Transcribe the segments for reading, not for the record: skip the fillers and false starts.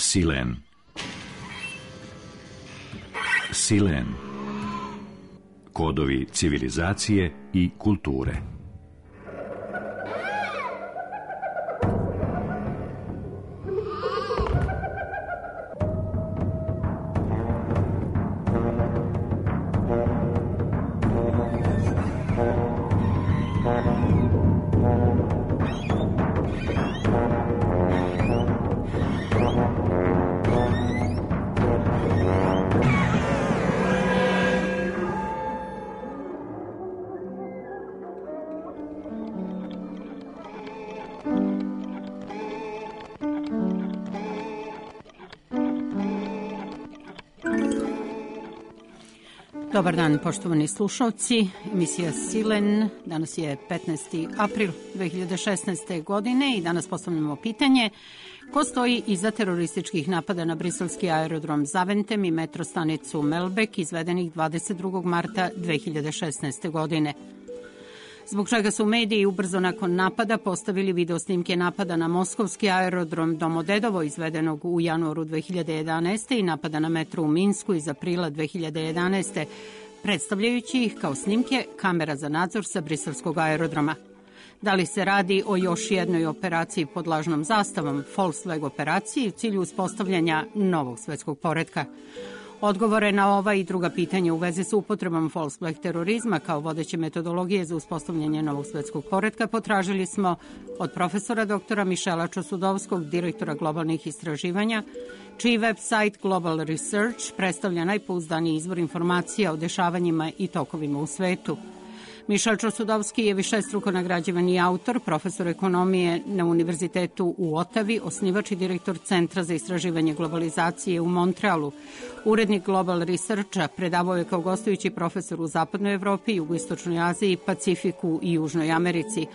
Silen. Silen. Kodovi civilizacije i kulture. Dobar dan, poštovani slušalci. Emisija Silen. Danas je 15. april 2016. godine i danas postavljamo pitanje ko stoji iza terorističkih napada na briselski aerodrom Zaventem i metrostanicu Melbek izvedenih 22. marta 2016. godine. Zbog čega su mediji ubrzo nakon napada postavili video snimke napada na moskovski aerodrom Domodedovo izvedenog u januaru 2011. i napada na metro u Minsku iz aprila 2011. predstavljajući ih kao snimke kamera za nadzor sa briselskog aerodroma. Da li se radi o još jednoj operaciji pod lažnom zastavom, false flag operaciji u cilju uspostavljanja novog svetskog poretka? Odgovore na ova i druga pitanja u vezi sa upotrebom false flag terorizma kao vodeće metodologije za uspostavljanje novog svetskog poretka potražili smo od profesora doktora Mišela Čosudovskog, direktora globalnih istraživanja, čiji website Global Research predstavlja najpouzdaniji izvor informacija o dešavanjima i tokovima u svetu. Mišel Čosudovski je višestruko nagrađivani autor, profesor ekonomije na Univerzitetu u Otavi, osnivač i direktor Centra za istraživanje globalizacije u Montrealu. Urednik Global Researcha, predavao je kao gostujući profesor u Zapadnoj Evropi, Jugoistočnoj Aziji, Pacifiku i Južnoj Americi.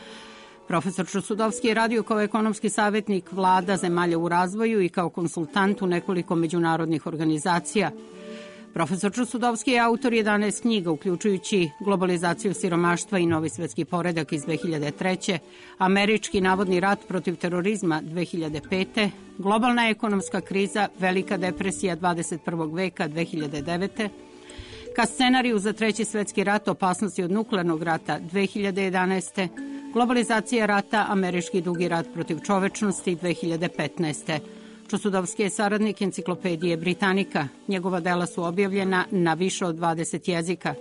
Profesor Čosudovski je radio kao ekonomski savjetnik vlada zemalja u razvoju i kao konsultant u nekoliko međunarodnih organizacija. Profesor Čosudovski je autor 11 knjiga, uključujući Globalizaciju siromaštva i Novi svetski poredak iz 2003. Američki navodni rat protiv terorizma 2005. Globalna ekonomska kriza, Velika depresija 21. veka 2009. Ka scenariju za Treći svetski rat, opasnosti od nuklearnog rata 2011. Globalizacija rata, Američki dugi rat protiv čovečnosti 2015. Čosudovski je saradnik Enciklopedije Britanika. Njegova dela su objavljena na više od 20 jezika.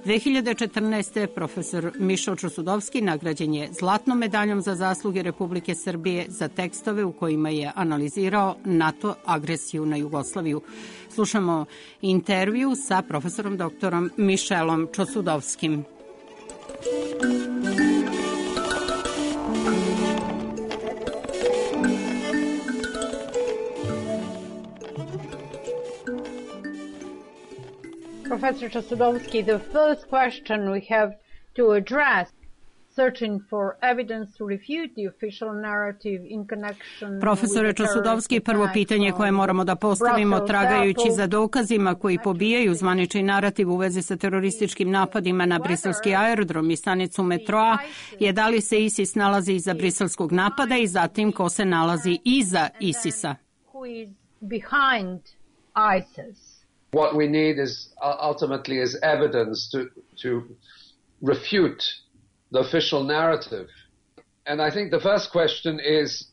2014. profesor Mišel Čosudovski nagrađen je zlatnom medaljom za zasluge Republike Srbije za tekstove u kojima je analizirao NATO agresiju na Jugoslaviju. Slušamo intervju sa profesorom doktorom Mišelom Čosudovskim. Professor Čosudovski, the first question we have to address, searching for evidence to refute the official narrative in connection. Profesore Čosudovski, prvo pitanje koje moramo da postavimo tragajući za dokazima koji pobijaju zvanični narativ u vezi sa terorističkim napadima na briselski aerodrom i stanicu metroa je da li se ISIS nalazi iza briselskog napada i zatim ko se nalazi iza ISIS-a. Who is behind ISIS? What we need is ultimately is evidence to refute the official narrative. And I think the first question is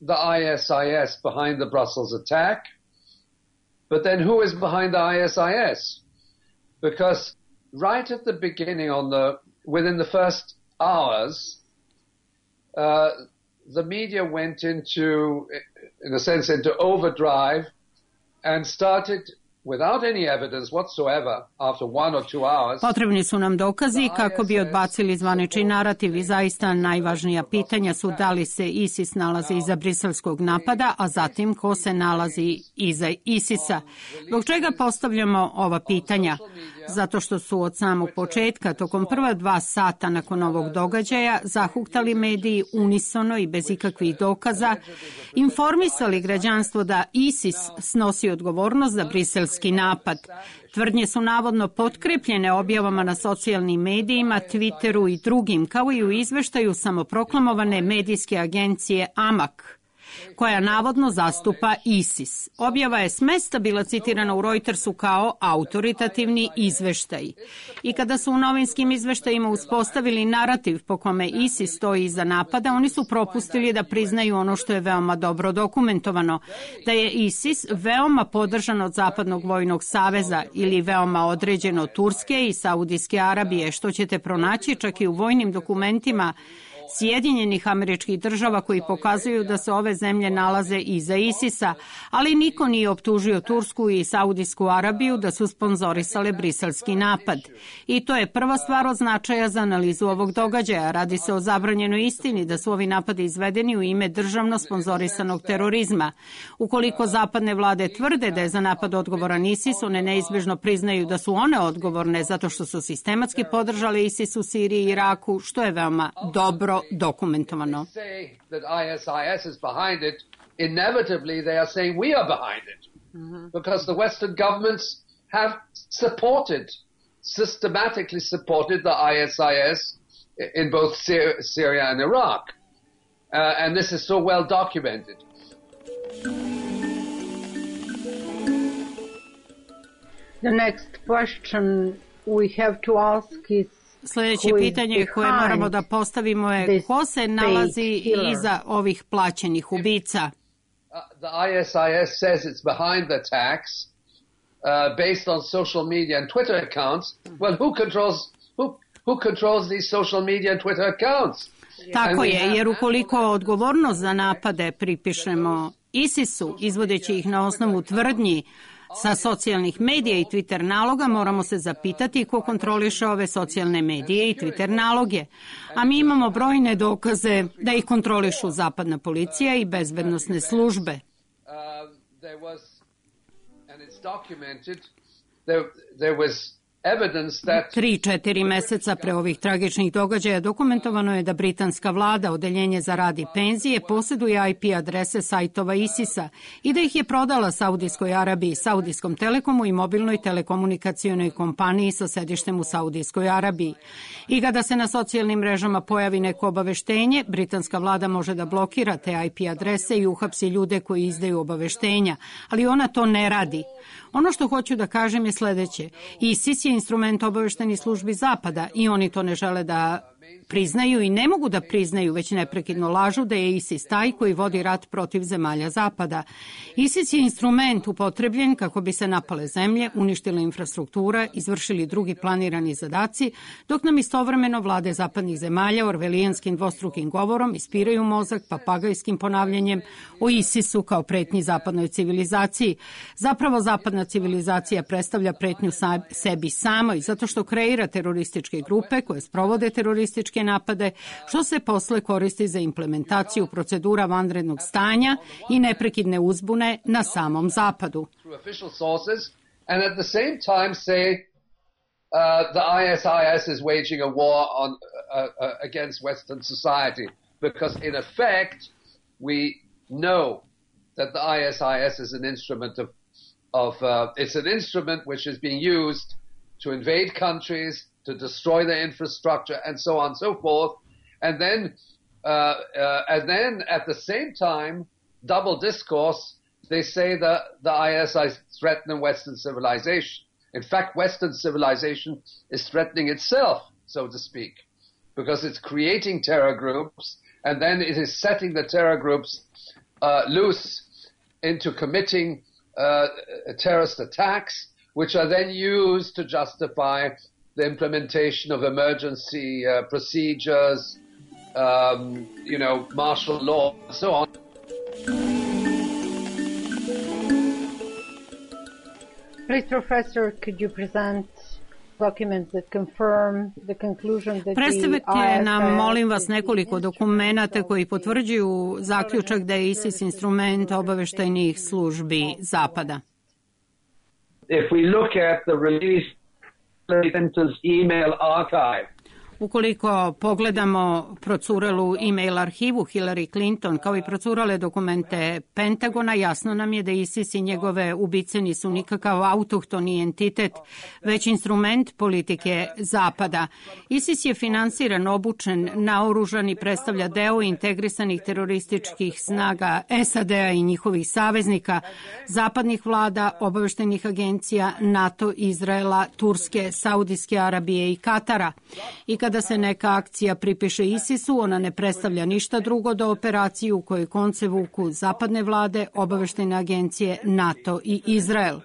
the ISIS behind the Brussels attack? But then who is behind the ISIS? Because right at the beginning, within the first hours, the media went into overdrive and started without any evidence whatsoever after 1 or 2 hours. Potrebni su nam dokazi kako bi odbacili zvanični narativ i zaista najvažnija pitanja su da li se ISIS nalazi iza briselskog napada, a zatim ko se nalazi iza ISIS-a. Zbog čega postavljamo ova pitanja? Zato što su od samog početka, tokom prva 2 sata nakon ovog događaja, zahuktali mediji unisono i bez ikakvih dokaza, informisali građanstvo da ISIS snosi odgovornost za briselski napad. Tvrdnje su navodno potkrepljene objavama na socijalnim medijima, Twitteru i drugim, kao i u izveštaju samoproklamovane medijske agencije AMAK. koja navodno zastupa ISIS. Objava je s mesta bila citirana u Reutersu kao autoritativni izveštaj. I kada su u novinskim izveštajima uspostavili narativ po kome ISIS stoji iza napada, oni su propustili da priznaju ono što je veoma dobro dokumentovano, da je ISIS veoma podržan od Zapadnog vojnog saveza ili veoma određen od Turske i Saudijske Arabije, što ćete pronaći čak i u vojnim dokumentima Sjedinjenih Američkih Država koji pokazuju da se ove zemlje nalaze iza ISIS-a, ali niko nije optužio Tursku i Saudijsku Arabiju da su sponzorisale briselski napad. I to je prva stvar od značaja za analizu ovog događaja. Radi se o zabranjenoj istini da su ovi napadi izvedeni u ime državno sponzorisanog terorizma. Ukoliko zapadne vlade tvrde da je za napad odgovoran ISIS, one neizbežno priznaju da su one odgovorne zato što su sistematski podržale ISIS u Siriji i Iraku, što je veoma dobro dokumentovano. Inevitably they are saying we are behind it because the Western governments have systematically supported the ISIS in both Syria and Iraq. And this is so well documented. The next question we have to ask is Sljedeće pitanje koje moramo da postavimo je ko se nalazi iza ovih plaćenih ubica. The ISIS says it's behind the attacks based on social media and Twitter accounts. Well, who controls these social media and Twitter accounts? Tako je, jer ukoliko odgovornost za napade pripišemo ISIS-u, izvodeći ih na osnovu tvrdnji sa socijalnih medija i Twitter naloga, moramo se zapitati ko kontroliše ove socijalne medije i Twitter naloge. A mi imamo brojne dokaze da ih kontrolišu zapadna policija i bezbednosne službe. There was 3-4 meseca pre ovih tragičnih događaja dokumentovano je da britanska vlada, odeljenje za rad i penzije, posjeduje IP adrese sajtova ISIS-a i da ih je prodala Saudijskoj Arabiji, Saudijskom Telekomu i mobilnoj telekomunikacionoj kompaniji sa sedištem u Saudijskoj Arabiji. I kada se na socijalnim mrežama pojavi neko obaveštenje, britanska vlada može da blokira te IP adrese i uhapsi ljude koji izdaju obaveštenja, ali ona to ne radi. Ono što hoću da kažem je sledeće. ISIS je instrument obaveštenih službi Zapada i oni to ne žele da priznaju i ne mogu da priznaju, već neprekidno lažu da je ISIS taj koji vodi rat protiv zemalja Zapada. ISIS je instrument upotrebljen kako bi se napale zemlje, uništila infrastruktura, izvršili drugi planirani zadaci, dok nam istovremeno vlade zapadnih zemalja orvelijanskim dvostrukim govorom ispiraju mozak papagajskim ponavljanjem o ISIS-u kao pretnji zapadnoj civilizaciji. Zapravo zapadna civilizacija predstavlja pretnju sebi samoj, zato što kreira terorističke grupe koje sprovode terorističke napade, što se posle koristi za implementaciju procedura vanrednog stanja i neprekidne uzbune na samom Zapadu. And at the same time say the ISIS is waging a war against Western society, because in effect we know that the ISIS is an instrument it's an instrument which is being used to invade countries, to destroy their infrastructure, and so on and so forth. And then at the same time, double discourse, they say that the ISIS threaten Western civilization. In fact, Western civilization is threatening itself, so to speak, because it's creating terror groups, and then it is setting the terror groups loose into committing terrorist attacks, which are then used to justify the implementation of emergency procedures, martial law, and so on. Please, Professor, could you present documents that confirm the conclusion that Predstavite nam, molim vas, nekoliko dokumenata koji potvrđuju zaključak da je ISIS instrument obaveštajnih službi Zapada. If we look at the release Clinton's email archive. Ukoliko pogledamo procurelu e-mail arhivu Hillary Clinton, kao i procurale dokumente Pentagona, jasno nam je da ISIS i njegove ubice nisu nikakav autohtoni entitet, već instrument politike Zapada. ISIS je finansiran, obučen, naoružan i predstavlja deo integrisanih terorističkih snaga SAD-a i njihovih saveznika, zapadnih vlada, obaveštajnih agencija, NATO, Izraela, Turske, Saudijske Arabije i Katara. I kada se neka akcija pripiše ISIS-u, ona ne predstavlja ništa drugo do operaciju u kojoj konce vuku zapadne vlade, obaveštajne agencije, NATO i Izrael.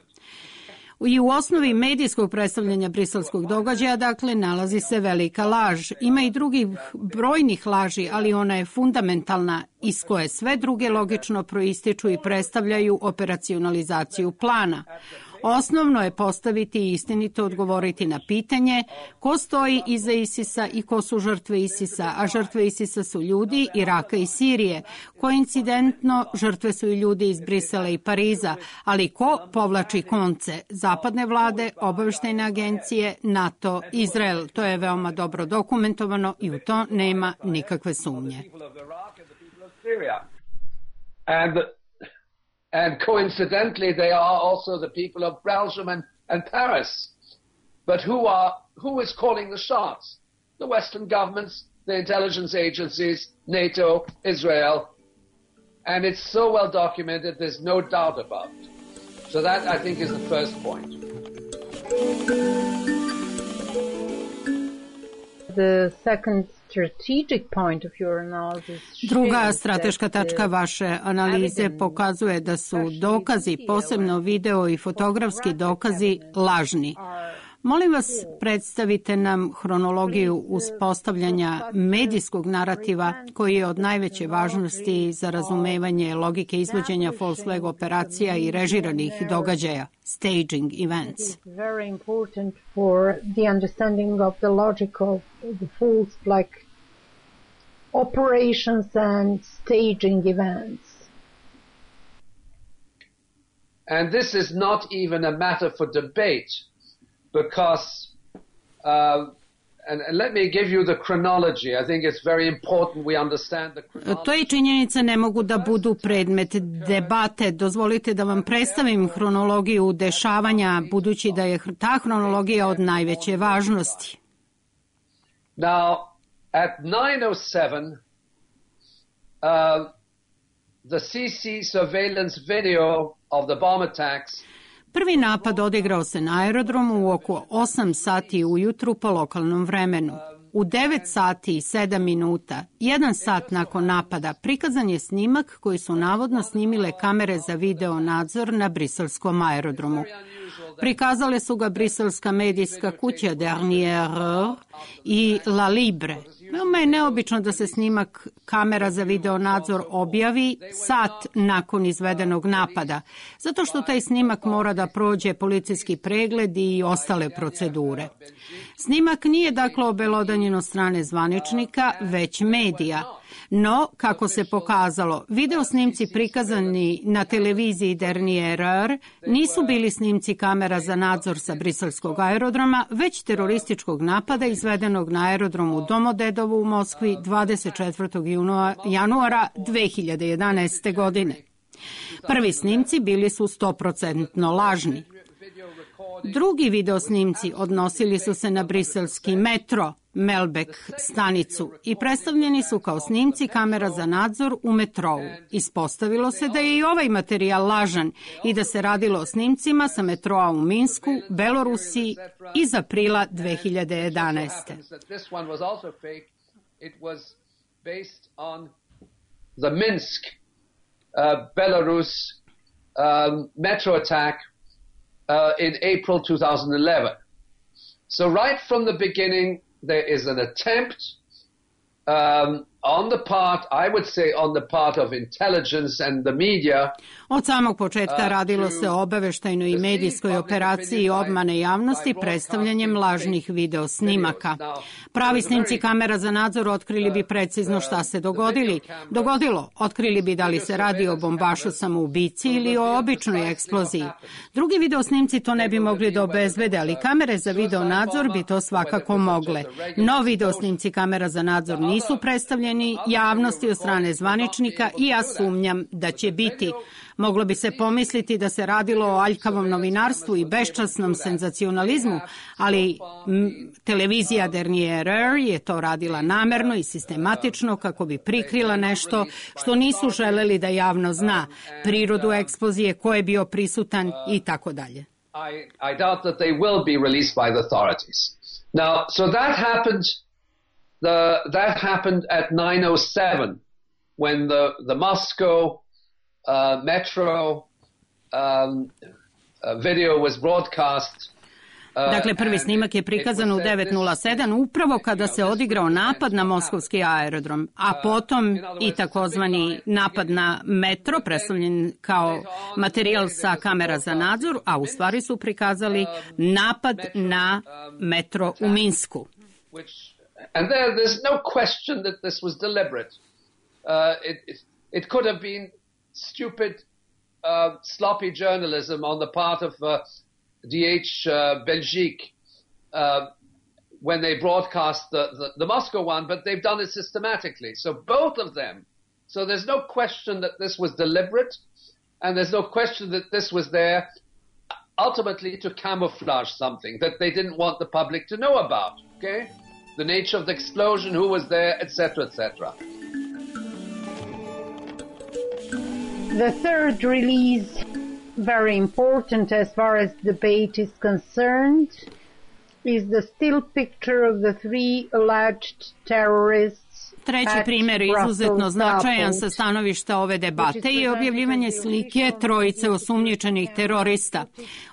I u osnovi medijskog predstavljanja briselskog događaja, dakle, nalazi se velika laž. Ima i drugih brojnih laži, ali ona je fundamentalna, iz koje sve druge logično proističu i predstavljaju operacionalizaciju plana. Osnovno je postaviti i istinito odgovoriti na pitanje ko stoji iza ISIS-a i ko su žrtve ISIS-a, a žrtve ISIS-a su ljudi Iraka i Sirije. Koincidentno, žrtve su i ljudi iz Brisela i Pariza, ali ko povlači konce? Zapadne vlade, obaveštajne agencije, NATO, Izrael. To je veoma dobro dokumentovano i u to nema nikakve sumnje. And coincidentally, they are also the people of Belgium and Paris. But who is calling the shots? The Western governments, the intelligence agencies, NATO, Israel. And it's so well documented, there's no doubt about it. So that, I think, is the first point. The second strategic point of your analysis. Druga strateška tačka vaše analize pokazuje da su dokazi, posebno video i fotografski dokazi, lažni. Molim vas, predstavite nam hronologiju uspostavljanja medijskog narativa koji je od najveće važnosti za razumevanje logike izvođenja false flag operacija i režiranih događaja, staging events. Very important for the understanding of the logic of the false flag operations and staging events. And this is not even a matter for debate. Because, and let me give you the chronology. I think it's very important we understand the chronology. To i činjenice ne mogu da budu predmet debate. Dozvolite da vam predstavim hronologiju dešavanja, budući da je ta hronologija od najveće važnosti. Now, at 9:07, the CC surveillance video of the bomb attacks. Prvi napad odigrao se na aerodromu u oko 8 sati ujutru po lokalnom vremenu. U 9 sati i 7 minuta, 1 sat nakon napada, prikazan je snimak koji su navodno snimile kamere za video nadzor na briselskom aerodromu. Prikazale su ga briselska medijska kuća Dernière Heure i La Libre. Veoma je neobično da se snimak kamera za video nadzor objavi sat nakon izvedenog napada, zato što taj snimak mora da prođe policijski pregled i ostale procedure. Snimak nije dakle obelodanjen od strane zvaničnika, već medija. No, kako se pokazalo, video snimci prikazani na televiziji Dernière Heure nisu bili snimci kamera za nadzor sa briselskog aerodroma, već terorističkog napada izvedenog na aerodromu Domodedovo u Moskvi 24. januara 2011. godine. Prvi snimci bili su 100% lažni. Drugi video snimci odnosili su se na briselski metro, Melbeck stanicu i predstavljeni su kao snimci kamera za nadzor u metrou. Ispostavilo se da je i ovaj materijal lažan i da se radilo o snimcima sa metroa u Minsku, Belorusiji iz aprila 2011. The Minsk, Belarus metro attack in April 2011. So right from the beginning, there is an attempt on the part, I would say on the part of intelligence and the media. Od samog početka radilo se o obaveštajnoj i medijskoj operaciji obmane javnosti predstavljanjem lažnih video snimaka. Pravi snimci kamera za nadzor otkrili bi precizno šta se dogodilo. Otkrili bi da li se radi o bombašu samoubici ili o običnoj eksploziji. Drugi video snimci to ne bi mogli da obezbede, ali kamere za video nadzor bi to svakako mogle. No video snimci kamera za nadzor nisu predstavljeni javnosti od strane zvaničnika i ja sumnjam da će biti. Moglo bi se pomisliti da se radilo o aljkavom novinarstvu i beščasnom senzacionalizmu, ali televizija Dernier je to radila namerno i sistematično kako bi prikrila nešto što nisu želeli da javno zna, prirodu eksplozije, ko je bio prisutan i tako dalje. I doubt that they will be released by the authorities. Now, so that happened at 9:07 when the Moscow Metro video was broadcast. Dakle, prvi snimak je prikazan u 9:07 upravo kada se odigrao napad na moskovski aerodrom, a potom i takozvani napad na metro, predstavljen kao materijal sa kamera za nadzor, a u stvari su prikazali napad na metro u Minsku. And there's no question that this was deliberate. It could have been stupid, sloppy journalism on the part of DH Belgique when they broadcast the Moscow one, but they've done it systematically. So both of them. So there's no question that this was deliberate, and there's no question that this was there ultimately to camouflage something that they didn't want the public to know about, okay? The nature of the explosion, who was there, etc., etc. The third release, very important as far as debate is concerned, is the still picture of the three alleged terrorists. Treći primjer izuzetno značajan sa stanovišta ove debate je objavljivanje slike trojice osumnjičenih terorista.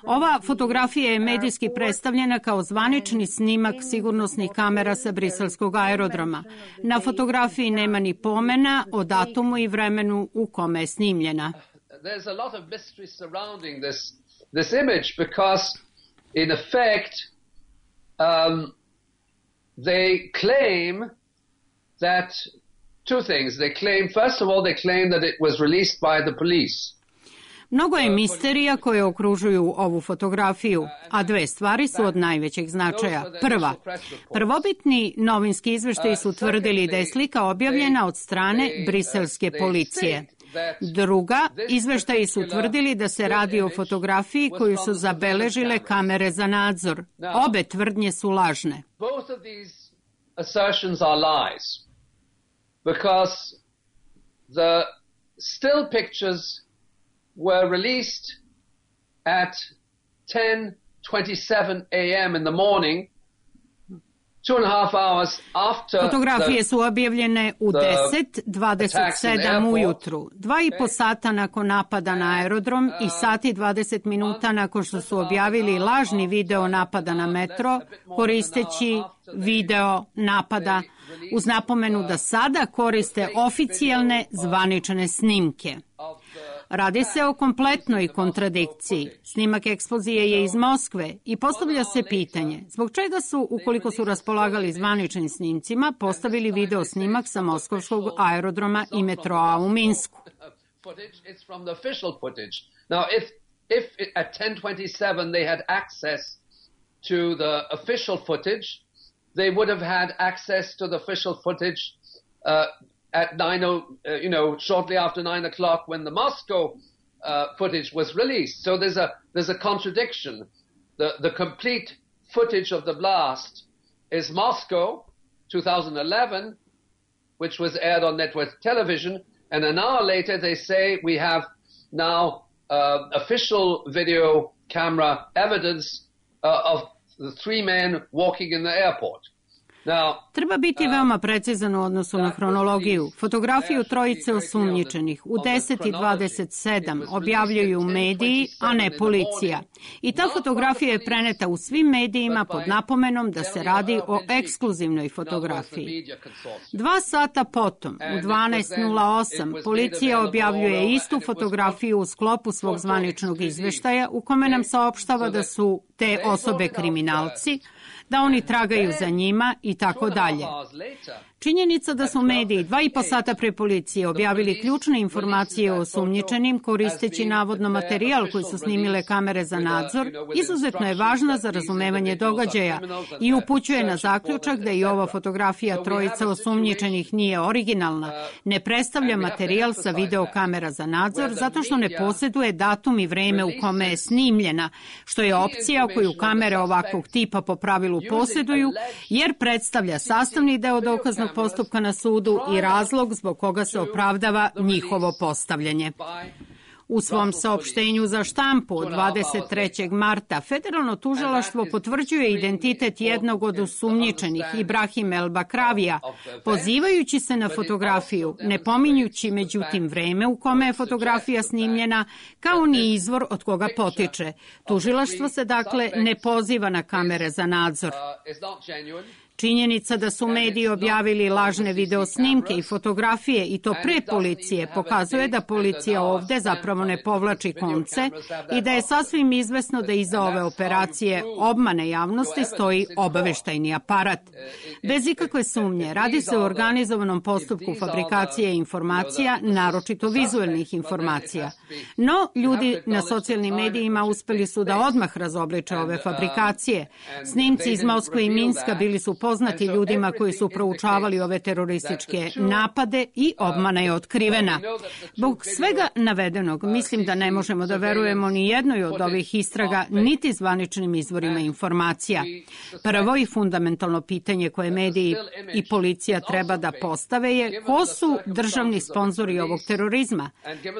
Ova fotografija je medijski predstavljena kao zvanični snimak sigurnosnih kamera sa briselskog aerodroma. Na fotografiji nema ni pomena o datumu i vremenu u kome je snimljena. There's a lot of mystery surrounding this image because in effect they claim that two things. First of all, they claim that it was released by the police. Mnogo je misterija koje okružuju ovu fotografiju, a dve stvari su od najvećeg značaja. Prva, prvobitni novinski izveštaji su tvrdili da je slika objavljena od strane briselske policije. Druga, izveštaji su tvrdili da se radi o fotografiji koju su zabeležile kamere za nadzor. Obe tvrdnje su lažne. Both of these assertions are lies. Because the still pictures were released at 10:27 a.m. in the morning, 2.5 hours after. Fotografije su objavljene u 10:27 ujutru, 2,5 sata nakon napada na aerodrom i sati 20 minuta nakon što su objavili lažni video napada na metro, koristeći video napada uz napomenu da sada koriste oficijalne zvanične snimke. Radi se o kompletnoj kontradikciji. Snimak eksplozije je iz Moskve i postavlja se pitanje zbog čega su, ukoliko su raspolagali zvaničnim snimcima, postavili video snimak sa moskovskog aerodroma i metroa u Minsku. It's from the official footage. Now, if at 10:27 they had access to the official footage, they would have had access to the official footage at shortly after 9 o'clock when the Moscow footage was released. So there's a contradiction. The complete footage of the blast is Moscow 2011, which was aired on network television, and an hour later they say we have now official video camera evidence of the three men walking in the airport. Treba biti veoma precizan u odnosu na hronologiju. Fotografiju trojice osumnjičenih u 10:27 objavljuju mediji, a ne policija. I ta fotografija je preneta u svim medijima pod napomenom da se radi o ekskluzivnoj fotografiji. 2 sata potom, u 12:08, policija objavljuje istu fotografiju u sklopu svog zvaničnog izveštaja u kome nam saopštava da su te osobe kriminalci, da oni tragaju za njima i tako dalje. Činjenica da su mediji 2,5 sata pre policije objavili ključne informacije o osumnjičenim koristeći navodno materijal koji su snimile kamere za nadzor, izuzetno je važna za razumevanje događaja i upućuje na zaključak da i ova fotografija trojica osumnjičenih nije originalna, ne predstavlja materijal sa videokamera za nadzor zato što ne posjeduje datum i vreme u kome je snimljena, što je opcija koju kamere ovakvog tipa po pravilu posjeduju, jer predstavlja sastavni deo dokaznog postupka na sudu i razlog zbog koga se opravdava njihovo postavljanje. U svom saopštenju za štampu od 23. marta federalno tužilaštvo potvrđuje identitet jednog od osumnjičenih, Ibrahim El Bakravija, pozivajući se na fotografiju, ne pominjući međutim vreme u kome je fotografija snimljena, kao ni izvor od koga potiče. Tužilaštvo se dakle ne poziva na kamere za nadzor. Činjenica da su mediji objavili lažne videosnimke i fotografije i to pre policije pokazuje da policija ovde zapravo ne povlači konce i da je sasvim izvesno da iza ove operacije obmane javnosti stoji obaveštajni aparat. Bez ikakve sumnje, radi se o organizovanom postupku fabrikacije informacija, naročito vizuelnih informacija. No, ljudi na socijalnim medijima uspeli su da odmah razobliče ove fabrikacije. Snimci iz Moskve i Minska bili su poznati ljudima koji su proučavali ove terorističke napade i obmana je otkrivena. Zbog svega navedenog, mislim da ne možemo da verujemo ni jednoj od ovih istraga, niti zvaničnim izvorima informacija. Prvo i fundamentalno pitanje koje mediji i policija treba da postave je ko su državni sponzori ovog terorizma?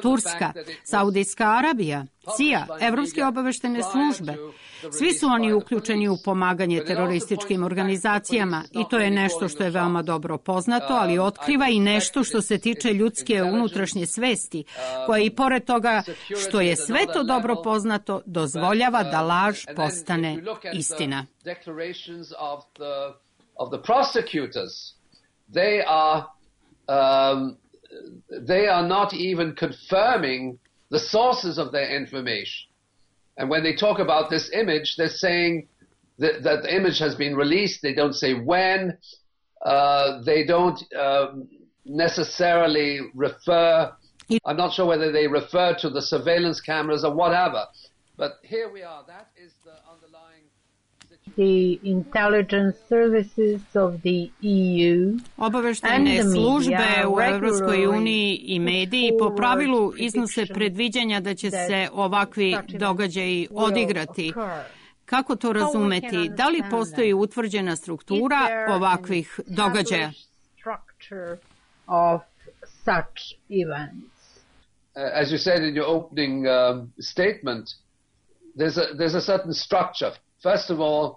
Turska, Saudijska Arabija, CIA, Evropske obaveštene službe. Svi su oni uključeni u pomaganje terorističkim organizacijama i to je nešto što je veoma dobro poznato, ali otkriva i nešto što se tiče ljudske unutrašnje svesti, koja i pored toga što je sve to dobro poznato, dozvoljava da laž postane istina. They are not even confirming the sources of their information. And when they talk about this image, they're saying that the image has been released. They don't say when. They don't necessarily refer. I'm not sure whether they refer to the surveillance cameras or whatever. But here we are. That is the underlying situation. The intelligence services of the EU Obaveštajne službe u Evropskoj uniji i mediji po pravilu iznose predviđanja da će se ovakvi događaji odigrati. Kako to razumeti? Da li postoji utvrđena struktura ovakvih događaja? As you said in your opening statement, there's a certain structure. First of all,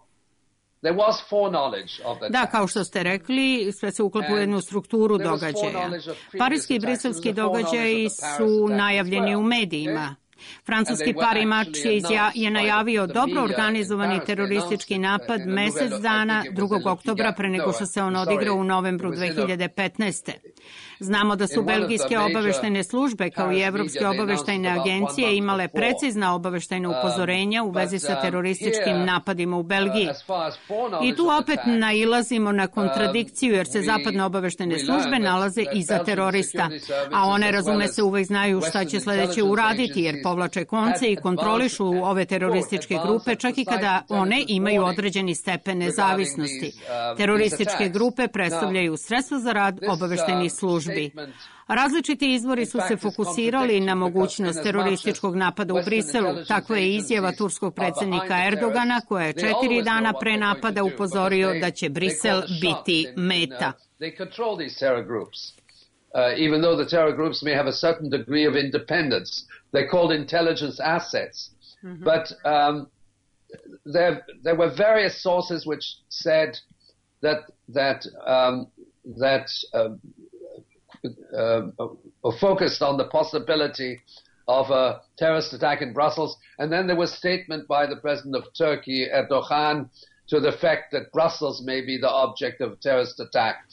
there was foreknowledge of that. Da, kao što ste rekli, sve se uklapa u jednu strukturu događaja. Parijski i briselski događaji su najavljeni u medijima. Francuski parimač je najavio dobro organizovani teroristički napad mesec dana 2. oktobra pre nego što se on odigrao u novembru 2015. Znamo da su belgijske obaveštajne službe kao i evropske obaveštajne agencije imale precizna obaveštajna upozorenja u vezi sa terorističkim napadima u Belgiji. I tu opet nailazimo na kontradikciju jer se zapadne obaveštajne službe nalaze iza terorista, a one, razume se, uvek znaju šta će sledeće uraditi jer povlače konce i kontrolišu ove terorističke grupe čak i kada one imaju određeni stepen nezavisnosti. Terorističke grupe predstavljaju sredstvo za rad obaveštajnih službi. Različiti izvori su se fokusirali na mogućnost terorističkog napada u Briselu. Takva je izjava turskog predsjednika Erdogana koja je 4 dana pre napada upozorio da će Brisel biti meta. Even though the terror groups may have a certain degree of independence, they're called intelligence assets. But there were various sources which said that focused on the possibility of a terrorist attack in Brussels. And then there was a statement by the president of Turkey, Erdogan, to the fact that Brussels may be the object of a terrorist attack.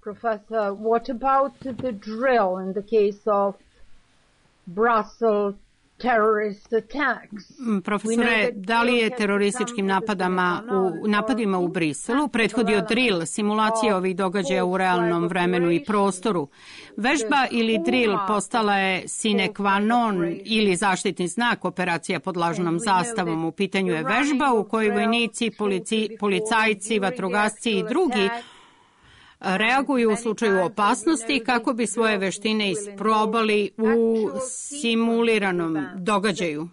Professor, what about the drill in the case of Brussels terrorist attacks? Profesore, da li je terorističkim napadima u Briselu prethodio drill, simulacija ovih događaja u realnom vremenu i prostoru? Vežba ili drill postala je sine qua non ili zaštitni znak operacija pod lažnom zastavom. U pitanju je vežba u kojoj vojnici, policajci, vatrogasci i drugi reaguju u slučaju opasnosti kako bi svoje veštine isprobali u simuliranom događaju.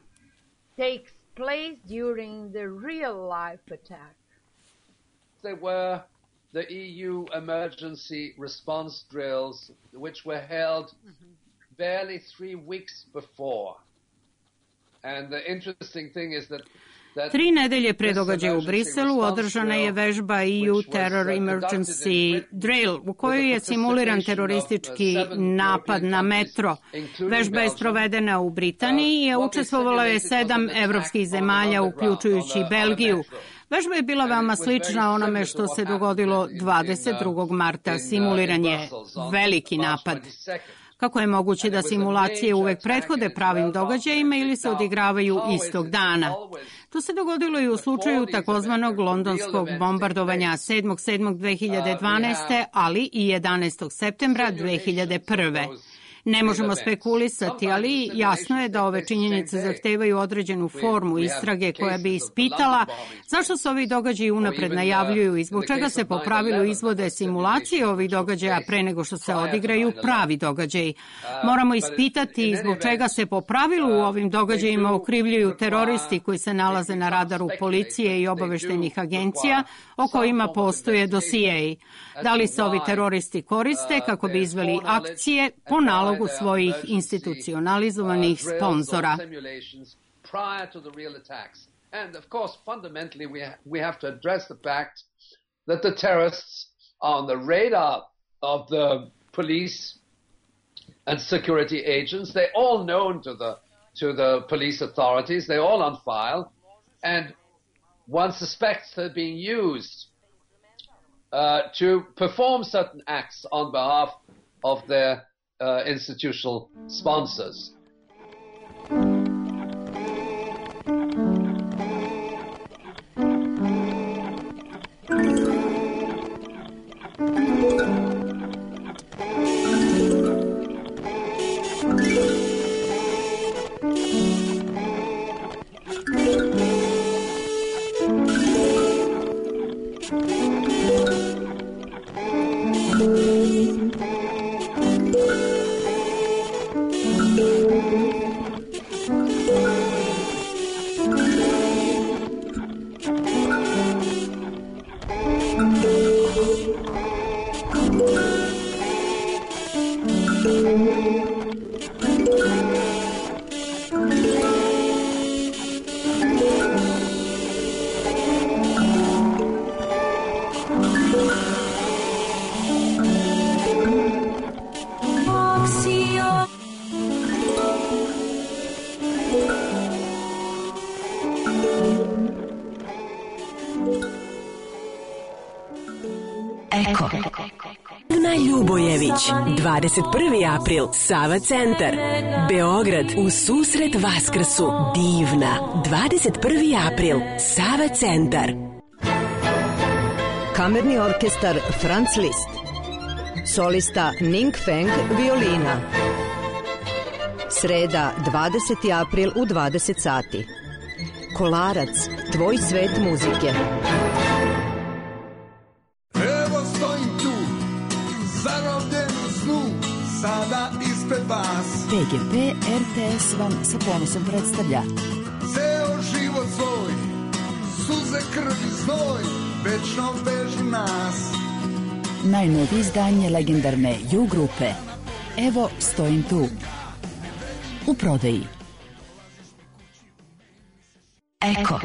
Takes place during the real life attack. They were the EU emergency response drills, which were held barely 3 weeks before. And the interesting thing is that 3 nedelje pre događaja u Briselu održana je vežba EU Terror Emergency Drill, u kojoj je simuliran teroristički napad na metro. Vežba je sprovedena u Britaniji i učestvovalo je 7 evropskih zemalja, uključujući Belgiju. Vežba je bila veoma slična onome što se dogodilo 22. marta. Simuliran je veliki napad. Kako je moguće da simulacije uvek prethode pravim događajima ili se odigravaju istog dana? To se dogodilo i u slučaju takozvanog londonskog bombardovanja 7.7.2012. ali i 11. septembra 2001. Ne možemo spekulisati, ali jasno je da ove činjenice zahtevaju određenu formu istrage koja bi ispitala zašto se ovi događaji unapred najavljuju i zbog čega se po pravilu izvode simulacije ovih događaja pre nego što se odigraju pravi događaji. Moramo ispitati zbog čega se po pravilu u ovim događajima okrivljuju teroristi koji se nalaze na radaru policije i obaveštajnih agencija o kojima postoje dosijeji. Da li se ovi teroristi koriste kako bi izveli akcije po nalogu svojih institucionalizovanih sponzora? And of course, fundamentally, we have to address the fact that the terrorists are on the radar of the police and security agents. They're all known to the police authorities. They're all on file, and one suspects they're being used to perform certain acts on behalf of their institutional sponsors. Eko. Na Ljubojević, 21. april, Sava centar, Beograd, u susret Vaskrsu, divna, 21. april, Sava centar. Kamerni orkestar Franz Liszt, solista Ning Feng, violina. Sreda, 20. april u 20 sati. Kolarac, tvoj svet muzike. Evo stojim tu, zarobljen u snu, sada ispred vas. PGP RTS vam sa ponosom predstavlja Ceo život svoj, suze, krv i znoj, večno vežu nas. najnovije izdanje legendarne U grupe Evo stojim tu. U prodaji. Eko.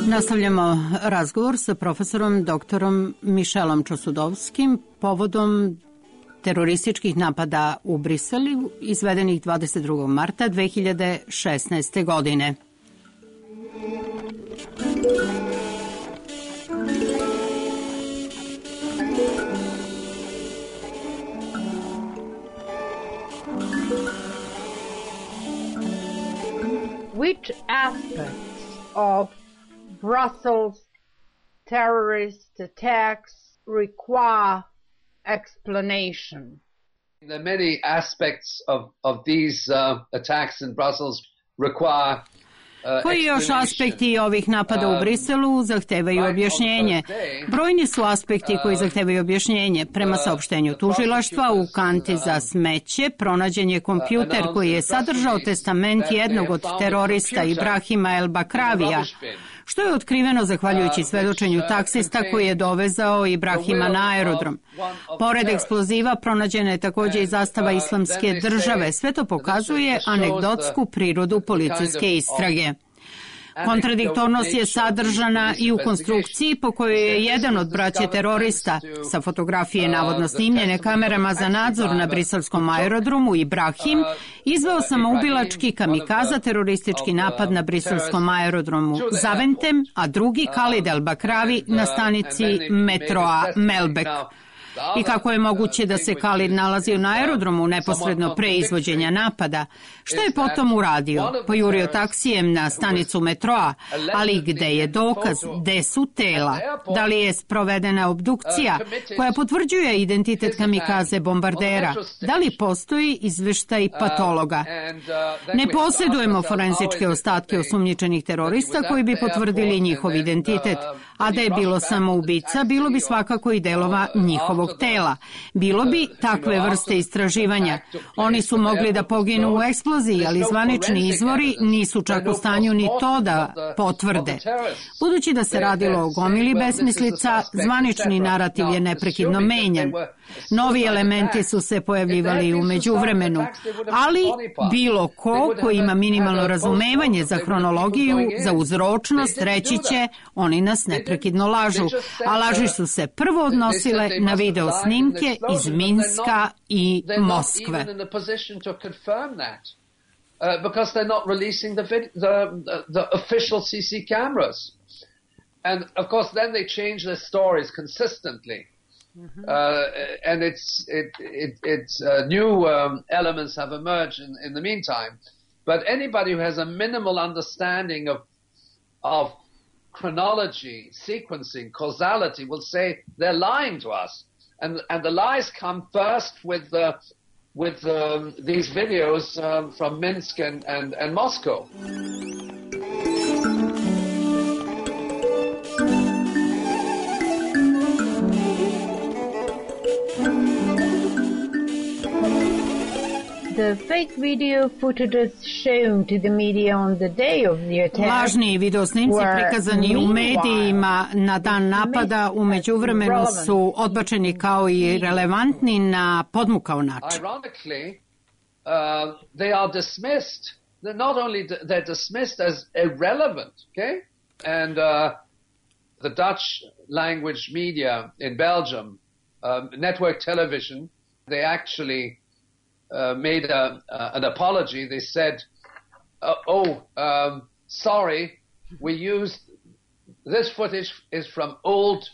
Nastavljamo razgovor sa profesorom doktorom Mišelom Čosudovskim povodom terorističkih napada u Briselu izvedenih 22. marta 2016. godine. Which aspects of Brussels terrorist attacks require explanation? There are many aspects of these attacks in Brussels require Koji još aspekti ovih napada u Briselu zahtevaju objašnjenje? Brojni su aspekti koji zahtevaju objašnjenje. Prema saopštenju tužilaštva, u kanti za smeće pronađen je kompjuter koji je sadržao testament jednog od terorista Ibrahima El Bakravija, što je otkriveno zahvaljujući svedočenju taksista koji je dovezao Ibrahima na aerodrom. Pored eksploziva pronađena je također i zastava Islamske države. Sve to pokazuje anegdotsku prirodu policijske istrage. Kontradiktornost je sadržana i u konstrukciji po kojoj je jedan od braće terorista sa fotografije navodno snimljene kamerama za nadzor na briselskom aerodromu Ibrahim izveo samoubilački kamikaza teroristički napad na briselskom aerodromu Zaventem, a drugi Khalid El Bakravi na stanici metroa Melbek. I kako je moguće da se Khalid nalazio na aerodromu neposredno pre izvođenja napada? Što je potom uradio? Pojurio taksijem na stanicu metroa, ali gde je dokaz? Gde su tela? Da li je sprovedena obdukcija koja potvrđuje identitet kamikaze bombardera? Da li postoji izveštaj patologa? Ne posjedujemo forenzičke ostatke osumnjičenih terorista koji bi potvrdili njihov identitet, a da je bilo samo ubica, bilo bi svakako i delova njihovog tela. Bilo bi takve vrste istraživanja. Oni su mogli da poginu u eksploziji, ali zvanični izvori nisu čak u stanju ni to da potvrde. Budući da se radilo o gomili besmislica, zvanični narativ je neprekidno menjan. Novi elementi su se pojavljivali u međuvremenu, ali bilo ko ima minimalno razumevanje za hronologiju, za uzročnost, reći će oni nas neprekidno lažu, a laži su se prvo odnosile na video snimke iz Minska i Moskve. Because they're not releasing the official CC cameras. And of course then they change their stories consistently. And it's new elements have emerged in the meantime. But anybody who has a minimal understanding of chronology, sequencing, causality will say they're lying to us. And the lies come first with these videos from Minsk and Moscow. The fake video footage shown to the media on the day of the attack. Lažni videosnimci prikazani u medijima na dan napada u međuvremenu su odbačeni kao i relevantni na podmukao način. Ironically, they are dismissed. They're dismissed as irrelevant, okay? And the Dutch language media in Belgium, network television, they actually made an apology. They said, sorry, we used, this footage is from old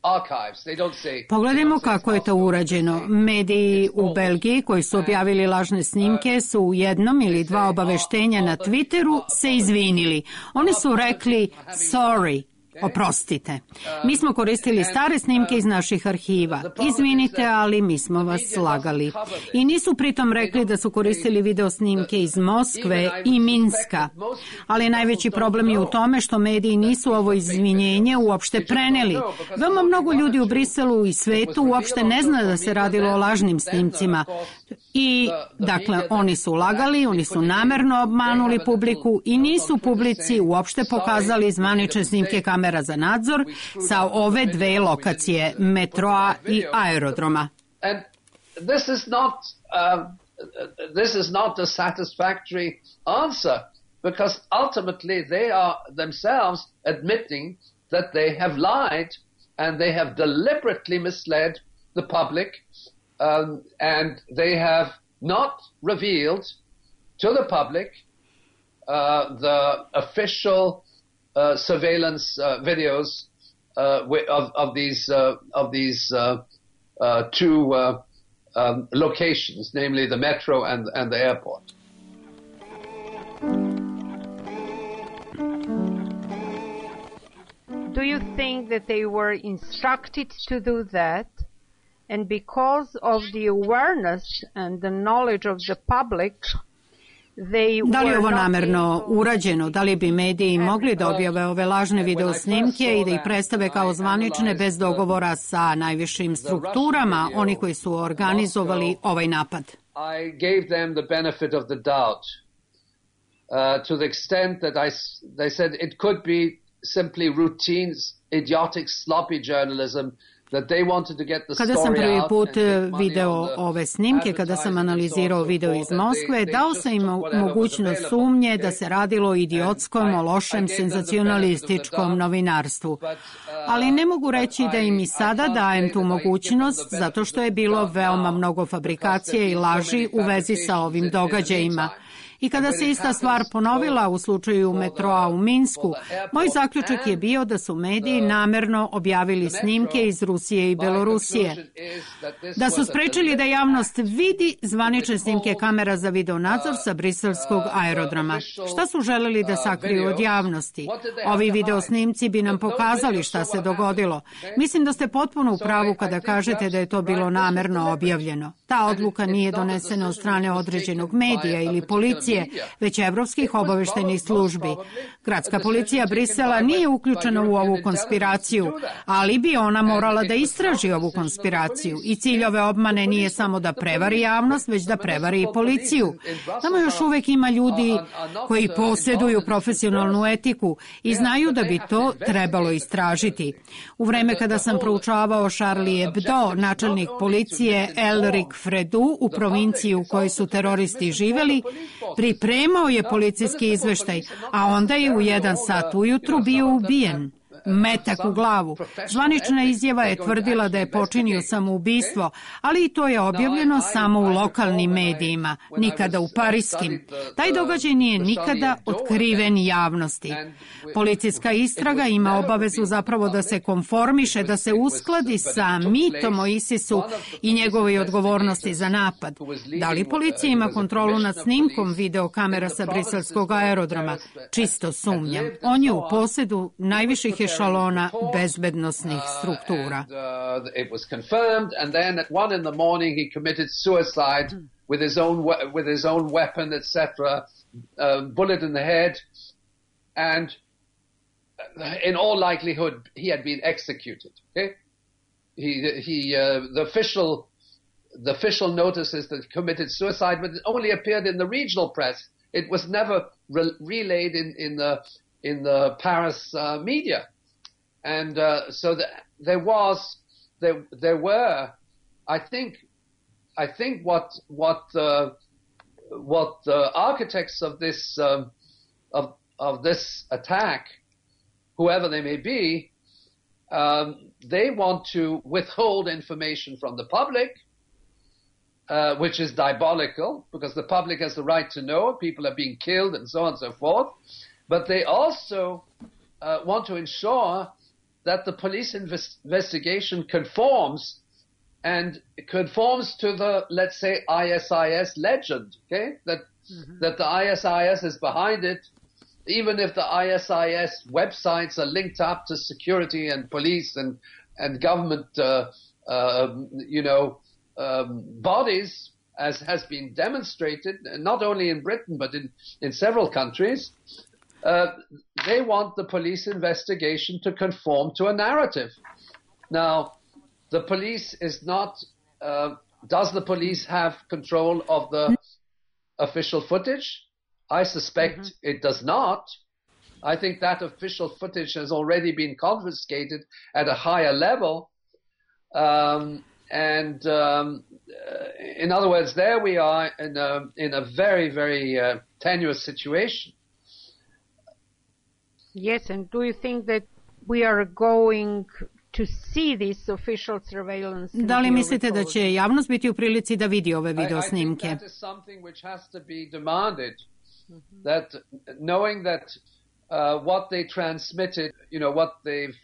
archives. They don't say. Pogledajmo kako je to urađeno. Mediji u Belgiji koji su objavili lažne snimke su u jednom ili dva obaveštenja na Twitteru se izvinili. Oni su rekli sorry. Oprostite. Mi smo koristili stare snimke iz naših arhiva. Izvinite, ali mi smo vas slagali. I nisu pritom rekli da su koristili video snimke iz Moskve i Minska. Ali najveći problem je u tome što mediji nisu ovo izvinjenje uopšte preneli. Veoma mnogo ljudi u Briselu i svetu uopšte ne zna da se radilo o lažnim snimcima. I, dakle, oni su lagali, oni su namerno obmanuli publiku i nisu publici uopšte pokazali zvanične snimke kamera za nadzor sa ove dve lokacije, metroa i aerodroma. And this is not a satisfactory answer because ultimately they are themselves admitting that they have lied and they have deliberately misled the public, and they have not revealed to the public the official surveillance videos of these two locations, namely the metro and the airport. Do you think that they were instructed to do that, and because of the awareness and the knowledge of the public, they Da li je ovo were not namerno able urađeno? Da li bi mediji mogli da objave ove lažne videosnimke i da ih predstave kao zvanične bez dogovora sa najvišim strukturama, oni koji su organizovali ovaj napad? I gave them the benefit of the doubt to the extent that they said it could be simply routine, idiotic, sloppy journalism. Kada sam prvi put video ove snimke, kada sam analizirao video iz Moskve, dao sam im mogućnost sumnje da se radilo o idiotskom, o lošem, senzacionalističkom novinarstvu. Ali ne mogu reći da im i sada dajem tu mogućnost, zato što je bilo veoma mnogo fabrikacije i laži u vezi sa ovim događajima. I kada se ista stvar ponovila u slučaju metroa u Minsku, moj zaključak je bio da su mediji namerno objavili snimke iz Rusije i Belorusije. Da su sprečili da javnost vidi zvanične snimke kamera za videonadzor sa briselskog aerodroma. Šta su želeli da sakriju od javnosti? Ovi videosnimci bi nam pokazali šta se dogodilo. Mislim da ste potpuno u pravu kada kažete da je to bilo namerno objavljeno. Ta odluka nije donesena od strane određenog medija ili policije, već evropskih obaveštajnih službi. Gradska policija Brisela nije uključena u ovu konspiraciju, ali bi ona morala da istraži ovu konspiraciju. I cilj ove obmane nije samo da prevari javnost, već da prevari i policiju. Tamo još uvek ima ljudi koji posjeduju profesionalnu etiku i znaju da bi to trebalo istražiti. U vreme kada sam proučavao Charlie Hebdo, načelnik policije Elric Fredu u provinciji u kojoj su teroristi živeli, pripremao je policijski izveštaj, a onda je u 1 sat ujutru bio ubijen. Metak u glavu. Zvanična izjava je tvrdila da je počinio samoubistvo, ali i to je objavljeno samo u lokalnim medijima, nikada u pariskim. Taj događaj nije nikada otkriven javnosti. Policijska istraga ima obavezu zapravo da se konformiše, da se uskladi sa mitom o ISIS-u i njegovoj odgovornosti za napad. Da li policija ima kontrolu nad snimkom videokamera sa briselskog aerodroma? Čisto sumnjam. On je u posjedu najviših ešalona bezbednosnih struktura. It was confirmed, and then at 1 in the morning he committed suicide with his own weapon, etc. Bullet in the head, and in all likelihood he had been executed. Okay, the official notices that he committed suicide, but it only appeared in the regional press. It was never relayed in the Paris media. And so there were, I think what the architects of this attack, whoever they may be, they want to withhold information from the public, which is diabolical because the public has the right to know people are being killed and so on and so forth. But they also want to ensure that the police investigation conforms to the, let's say, ISIS legend, okay? That the ISIS is behind it, even if the ISIS websites are linked up to security and police and government, bodies, as has been demonstrated, not only in Britain but in several countries. They want the police investigation to conform to a narrative. Now, the police is not, does the police have control of the official footage? I suspect it does not. I think that official footage has already been confiscated at a higher level. In other words, there we are in a very, very tenuous situation. Yes, and do you think that we are going to see this official surveillance? Da li mislite da će javnost biti u prilici da vidi ove video snimke? I think that is something which has to be demanded. That knowing that what they transmitted, what they've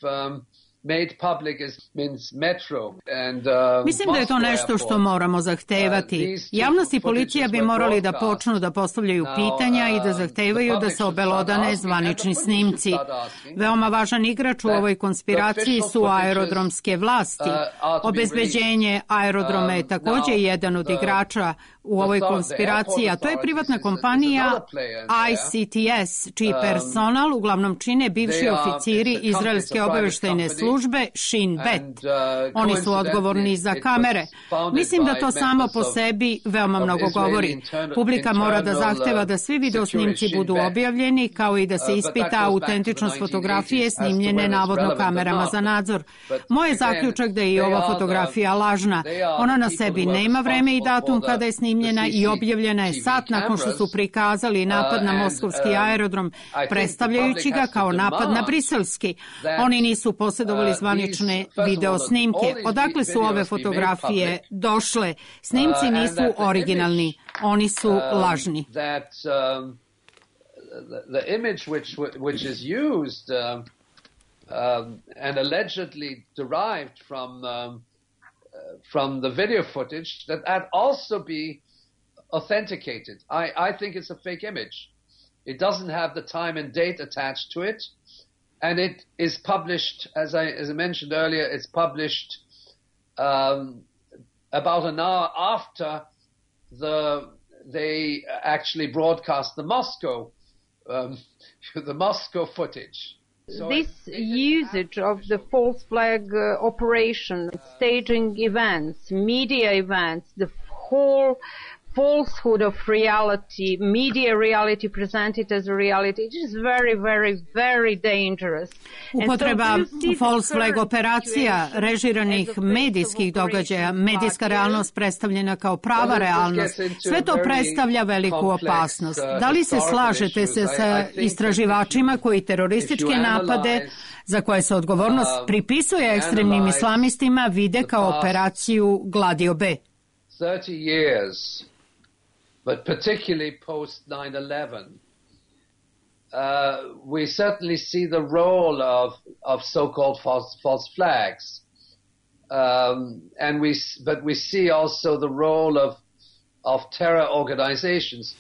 made public means metro and mislim da je to nešto što moramo zahtevati. Javnost i policija bi morali da počnu da postavljaju pitanja i da zahtevaju da se obelodane zvanični snimci. Veoma važan igrač u ovoj konspiraciji su aerodromske vlasti. Obezbeđenje aerodroma je takođe jedan od igrača u ovoj konspiraciji, a to je privatna kompanija ICTS, čiji personal uglavnom čine bivši oficiri izraelske obaveštajne službe Shin Bet. Oni su odgovorni za kamere. Mislim da to samo po sebi veoma mnogo govori. Publika mora da zahteva da svi videosnimci budu objavljeni, kao i da se ispita autentičnost fotografije snimljene navodno kamerama za nadzor. Moj je zaključak da je i ova fotografija lažna. Ona na sebi nema vreme i datum kada je snimljena i objavljena je sat nakon što su prikazali napad na moskovski aerodrom, predstavljajući ga kao napad na briselski. Oni nisu posjedovali zvanične video snimke. Odakle su ove fotografije došle? Snimci nisu originalni, oni su lažni. The image which is used and allegedly derived from the video footage, that also be authenticated. I think it's a fake image. It doesn't have the time and date attached to it, and it is published, as I mentioned earlier, it's published about an hour after they actually broadcast the Moscow footage. This usage of the false flag operation, staging events, media events, the whole falsehood of reality, media reality presented as a reality, it is very, very, very dangerous. Upotreba false flag operacija, režiranih medijskih događaja, medijska realnost predstavljena kao prava realnost, sve to predstavlja veliku opasnost. Da li se slažete se sa istraživačima koji terorističke napade, za koje se odgovornost pripisuje ekstremnim islamistima, vide kao operaciju Gladio B? 30 years, but particularly post 9/11, we certainly see the role of so-called false flags, but we see also the role of terror organizations.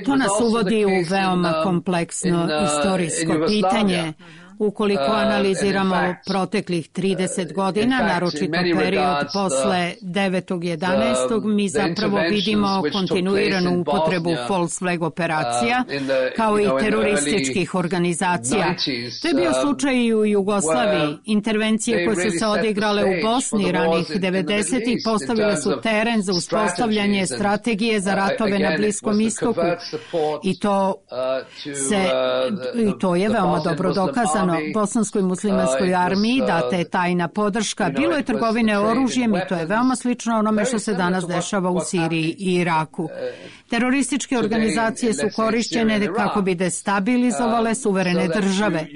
To nas uvodi u veoma kompleksno istorijsko pitanje. Ukoliko analiziramo proteklih 30 godina, naročito period posle 9.11. mi zapravo vidimo kontinuiranu upotrebu false flag operacija, kao i terorističkih organizacija. To je bio slučaj i u Jugoslaviji. Intervencije koje su se odigrale u Bosni ranih 90-ih postavile su teren za uspostavljanje strategije za ratove na Bliskom istoku i to je veoma dobro dokazano. Bosanskoj muslimanskoj armiji data je tajna podrška. Bilo je trgovine oružjem i to je veoma slično onome što se danas dešava u Siriji i Iraku. Terorističke organizacije su korišćene kako bi destabilizovale suverene države.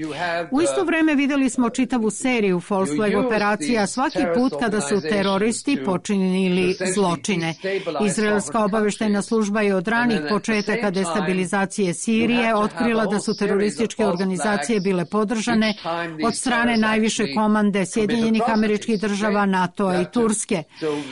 U isto vreme videli smo čitavu seriju false flag operacija svaki put kada su teroristi počinili zločine. Izraelska obaveštajna služba je od ranih početaka destabilizacije Sirije otkrila da su terorističke organizacije bile podržane od strane najviše komande Sjedinjenih Američkih Država, NATO i Turske.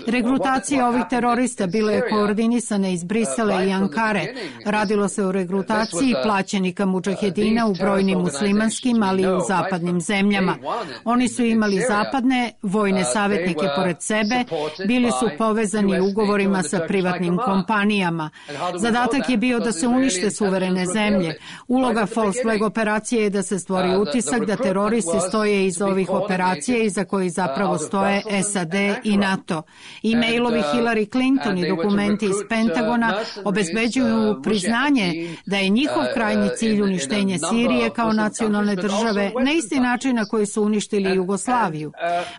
Regrutacija ovih terorista bila je koordinisana iz Brisela i Ankare. Radilo se o regrutaciji plaćenika mudžahedina u brojnim muslimanskim, ali i u zapadnim zemljama. Oni su imali zapadne vojne savjetnike pored sebe, bili su povezani ugovorima sa privatnim kompanijama. Zadatak je bio da se unište suverene zemlje. Uloga false flag operacije je da se stvori utisak da teroristi stoje iz ovih operacija iza kojih zapravo stoje SAD i NATO. E-mailovi Hillary Clinton i dokumenti iz Pentagona obezbeđuju priznanje da je njihov krajnji cilj uništenje Sirije kao nacionalne države na isti način na koji su uništili Jugoslaviju.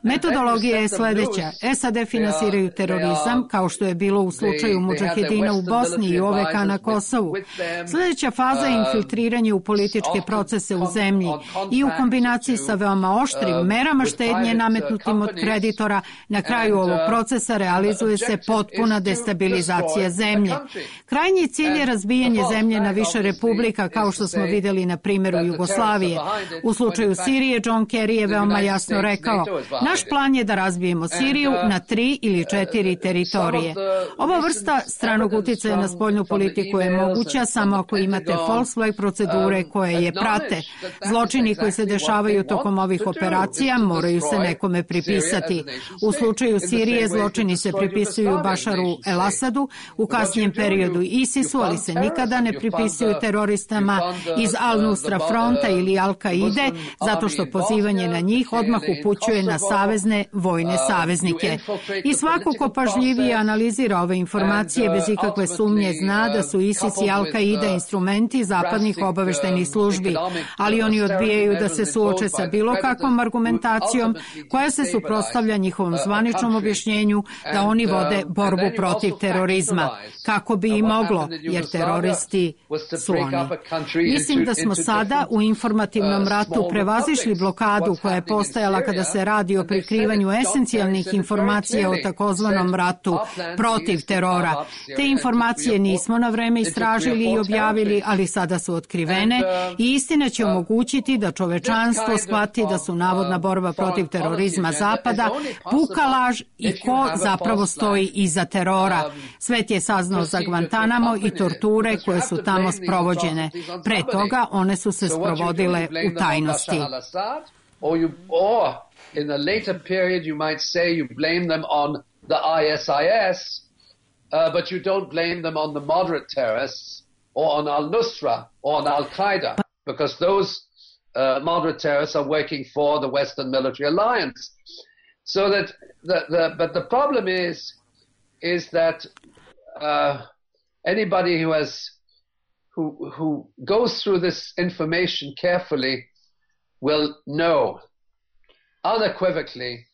Metodologija je sledeća. SAD finansiraju terorizam, kao što je bilo u slučaju mudžahedina u Bosni i OVK na Kosovu. Sledeća faza je infiltriranje u političke procese u zemlji i u kombinaciji sa veoma oštrim merama štednje nametnutim od kreditora, na kraju ovog procesa realizuje se potpuna destabilizacija zemlje. Krajnji cilj je razbijanje zemlje na više republika, kao što smo videli na primjeru Jugoslavije. U slučaju Sirije, John Kerry je veoma jasno rekao: naš plan je da razbijemo Siriju na 3 ili 4 teritorije. Ova vrsta stranog uticaja na spoljnu politiku je moguća samo ako imate false flag procedure koje je prate. Zločini koji se dešavaju tokom ovih operacija moraju se nekome pripisati. U slučaju Sirije zločini se pripisuju Bašaru el-Asadu, u kasnijem periodu ISIS-u, ali se nikada ne pripisuju teroristama iz Al-Nusra fronta ili Al-Kaide, zato što pozivanje na njih odmah upućuje na savezne vojne saveznike. I svako ko pažljivije analizira ove informacije bez ikakve sumnje zna da su ISIS i Al-Kaida instrumenti zapadnih obaveštajnih službi, ali oni odbijaju da se suoče sa bilo kakvom argumentacijom koja se suprotstavlja njihovom zvaničnom objašnjenju da oni vode borbu protiv terorizma. Kako bi i moglo, jer teroristi su oni. Mislim da smo sada u informativnom ratu prevazišli blokadu koja je postojala kada se radi o prikrivanju esencijalnih informacija o takozvanom ratu protiv terora. Te informacije nismo na vreme istražili i objavili, ali sada su otkrivene i istina će omogućiti da čovečanstvo shvati da su navodna borba protiv terorizma Zapada puka laž i ko zapravo stoji iza terora. Svet je saznao za Guantanamo i torture koje su tamo sprovođene. Pre toga one su se sprovodile u tajnosti. In a later period, you might say you blame them on the ISIS, but you don't blame them on the moderate terrorists or on al-Nusra or on al-Qaeda, because those moderate terrorists are working for the Western Military Alliance. So that but the problem is that anybody who goes through this information carefully will know unequivocally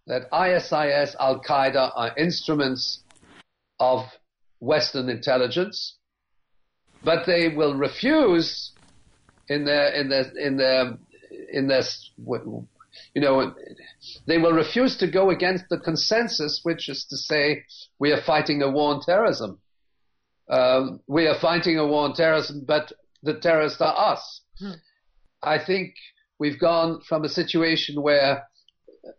that ISIS, Al-Qaeda are instruments of Western intelligence, but they will refuse they will refuse to go against the consensus, which is to say we are fighting a war on terrorism. We are fighting a war on terrorism, but the terrorists are us. I think we've gone from a situation where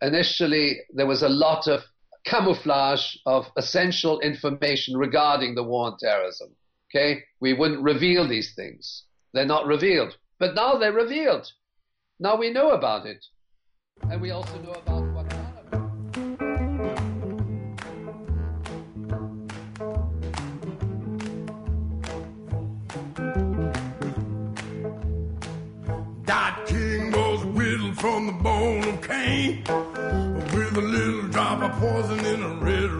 initially there was a lot of camouflage of essential information regarding the war on terrorism. Okay? We wouldn't reveal these things. They're not revealed. But now they're revealed. Now we know about it. And we also know about what from the bone of Cain, with a little drop of poison in her red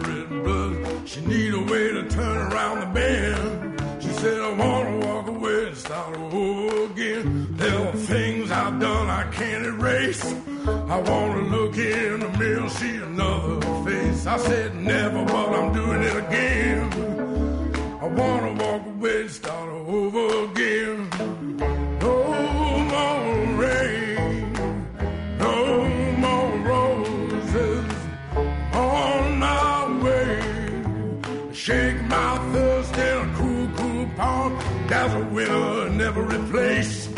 blood. She need a way to turn around the bend. She said, I want to walk away and start over again. There are things I've done I can't erase. I want to look in the mirror, see another face. I said never, but I'm doing it again. I want to walk away and start over again. No more rain, no more roses on my way. Shake my thirst in a cool, cool pond. There's a winner in every place.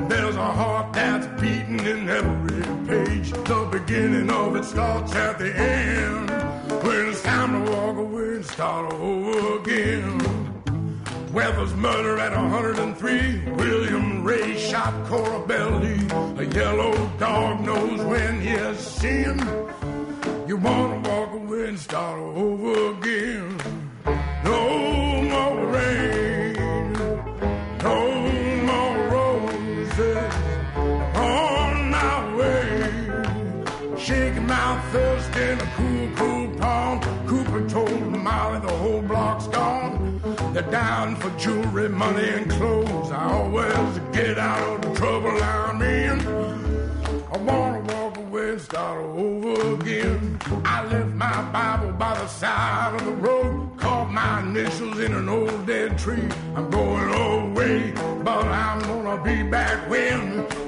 There's a heart that's beating in every page. The beginning of it starts at the end. When it's time to walk away and start over again. Weather's murder at 103. William Ray shot Cora Belly. A yellow dog knows when he's sin. You wanna walk away and start over again. No more rain, no more roses on my way. Shaking my thirst in a cool, cool pond. Cooper told Molly the whole block's gone. They're down for jewelry, money, and clothes. I always get out of the trouble I'm in. I wanna walk away and start over again. I left my Bible by the side of the road, carved my initials in an old dead tree. I'm going away, but I'm gonna be back when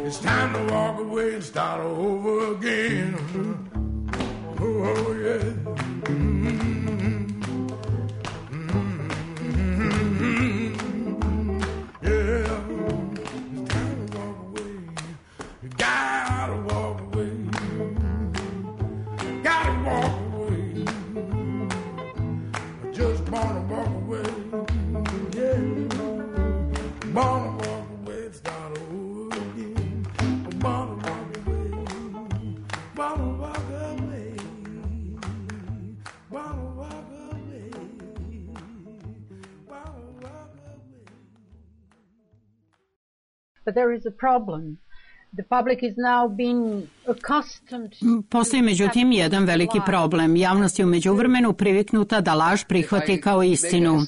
it's time to walk away and start over again. Oh yeah. But there is a problem. The public is now being accustomed. Postoji međutim jedan veliki problem. Javnost je u međuvremenu priviknuta da laž prihvati kao istinu.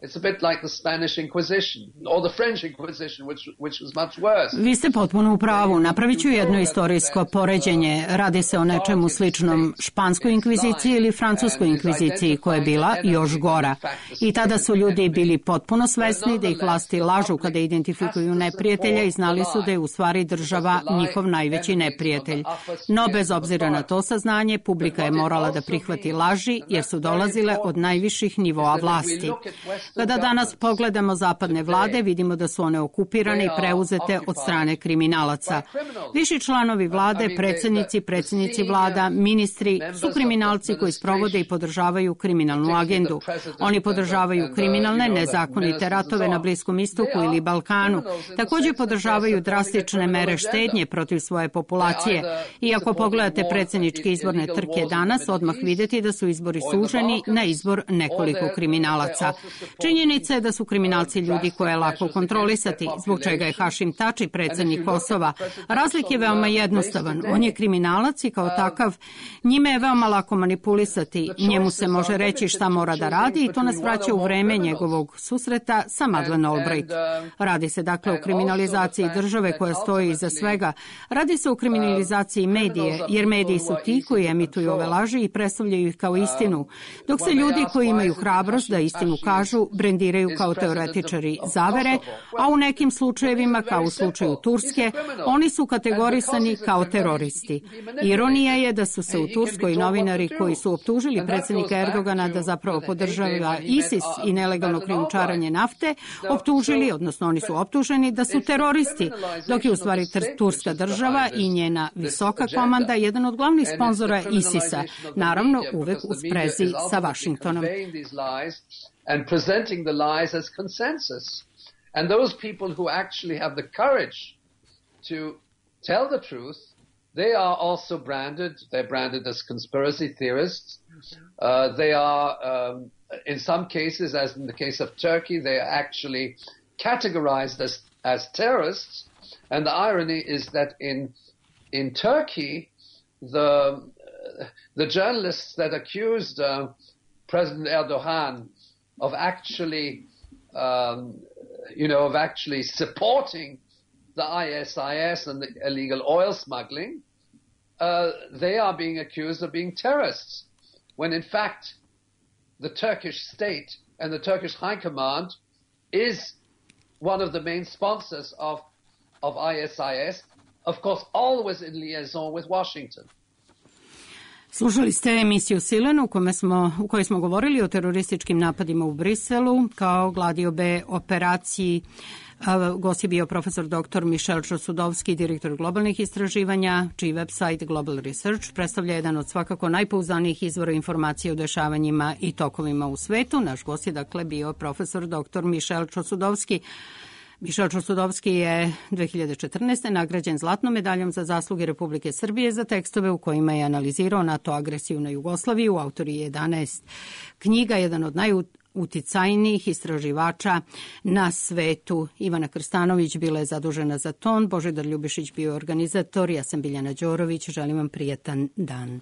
It's a bit like the Spanish Inquisition or the French Inquisition, which was much worse. Vi ste potpuno u pravu. Napravit ću jedno istorijsko poređenje. Radi se o nečemu sličnom španskoj inkviziciji ili francuskoj inkviziciji, koja je bila još gora. I tada su ljudi bili potpuno svesni da ih vlasti lažu kada identifikuju neprijatelja i znali su da je u stvari država njihov najveći neprijatelj. No, bez obzira na to saznanje, publika je morala da prihvati laži jer su dolazile od najviših nivoa vlasti. Kada danas pogledamo zapadne vlade, vidimo da su one okupirane i preuzete od strane kriminalaca. Viši članovi vlade, predsjednici vlada, ministri su kriminalci koji sprovode i podržavaju kriminalnu agendu. Oni podržavaju kriminalne, nezakonite ratove na Bliskom istoku ili Balkanu. Također podržavaju drastične mere štednje protiv svoje populacije. I ako pogledate predsjedničke izborne trke danas, odmah vidjeti da su izbori suženi na izbor nekoliko kriminalaca. Činjenica je da su kriminalci ljudi koje je lako kontrolisati, zbog čega je Hašim Tači predsjednik Kosova. Razlik je veoma jednostavan. On je kriminalac i kao takav njime je veoma lako manipulisati. Njemu se može reći šta mora da radi i to nas vraća u vreme njegovog susreta sa Madeleine Albright. Radi se dakle o kriminalizaciji države koja stoji iza svega. Radi se o kriminalizaciji medije, jer mediji su ti koji emituju ove laži i predstavljaju ih kao istinu. Dok se ljudi koji imaju hrabrost da istinu kažu, brendiraju kao teoretičari zavere, a u nekim slučajevima, kao u slučaju Turske, oni su kategorisani kao teroristi. Ironija je da su se u Turskoj novinari koji su optužili predsjednika Erdogana da zapravo podržava ISIS i nelegalno krijumčarenje nafte, optužili, odnosno oni su optuženi da su teroristi, dok je u stvari Turska država i njena visoka komanda jedan od glavnih sponzora ISIS-a, naravno uvek u sprezi sa Vašingtonom. And presenting the lies as consensus. And those people who actually have the courage to tell the truth, they are also branded. They're branded as conspiracy theorists. They are, in some cases, as in the case of Turkey, they are actually categorized as terrorists. And the irony is that in Turkey, the journalists that accused President Erdogan of actually, of actually supporting the ISIS and the illegal oil smuggling, they are being accused of being terrorists, when in fact the Turkish state and the Turkish High Command is one of the main sponsors of ISIS, of course always in liaison with Washington. Slušali ste emisiju Silen u kojoj smo govorili o terorističkim napadima u Briselu kao gladiobe operaciji. Gost je bio profesor dr. Michel Chossudovski, direktor globalnih istraživanja, čiji website Global Research predstavlja jedan od svakako najpouzdanijih izvora informacije o dešavanjima i tokovima u svetu. Naš gost je dakle bio profesor dr. Michel Chossudovski. Michel Chossudovski je 2014. nagrađen zlatnom medaljom za zasluge Republike Srbije za tekstove u kojima je analizirao NATO agresiju na Jugoslaviju. Autor je 11 knjiga, jedan od najuticajnijih istraživača na svetu. Ivana Krstanović bila je zadužena za ton, Božidar Ljubišić bio organizator, ja sam Biljana Đorović, želim vam prijatan dan.